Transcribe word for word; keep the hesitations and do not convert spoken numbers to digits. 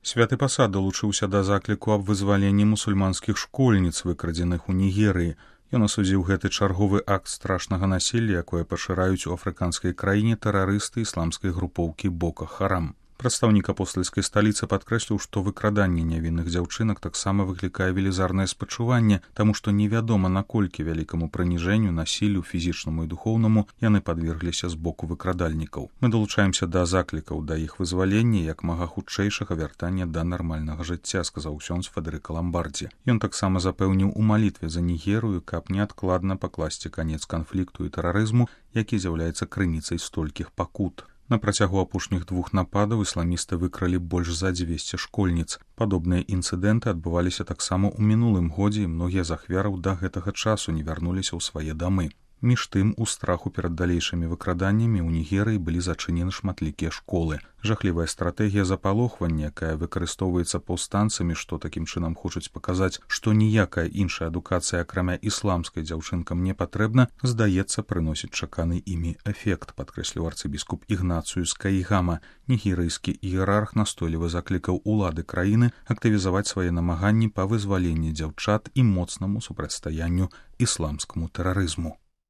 Святы пасад далучыўся да закліку аб вызваленні мусульманскіх школьніц, выкрадзеных у Нігерыі. Ён асудзіў гэты чарговы акт страшнага насілля, якое пашыраюць у афрыканскай краіне тэрарысты ісламскай групоўкі Бока Харам. Прадстаўнік апостальскай сталіцы падкрэсліў, што выкраданне нявінных дзяўчынак таксама выклікае велізарнае спачуванне, таму што невядома, наколькі вялікаму прыніжэнню, насіллю фізічнаму і духоўнаму яны падвергліся з боку выкрадальнікаў. Мы далучаемся да заклікаў да іх вызвалення як мага хутчэйшага вяртання да нармальнага жыцця, сказаў ксёндз Федэрыка Ламбардзі. Ён таксама запэўніў у малітве за Нігерыю, каб неадкладна пакласці канец канфлікту і тэрарызму, які з'яўляецца крыніцай столькіх пакут. На працягу апошніх двух нападаў ісламісты выкралі больш за дзвесце школьніц. Падобныя інцыдэнты адбываліся таксама ў мінулым годзе, і многія з ахвяраў да гэтага часу не вярнуліся ў свае дамы. Між тым, у страху перад далейшымі выкраданнямі ў Нігерыі былі зачынены шматлікія школы. Жахлівая стратэгія запалохвання, якая выкарыстоўваецца паўстанцамі, што такім чынам хочуць паказаць, што ніякая іншая адукацыя, акрамя ісламскай, дзяўчынкам не патрэбна, здаецца, прыносіць чаканы імі эфект, падкрэсліў арцыбіскуп Ігнацыюс Кайгама. Нігерыйскі іерарх настойліва заклікаў улады краіны актывізаваць свае намаганні па вызваленні дзяўчат і моцнаму супрацьстаянню ісламскаму тэрарызму.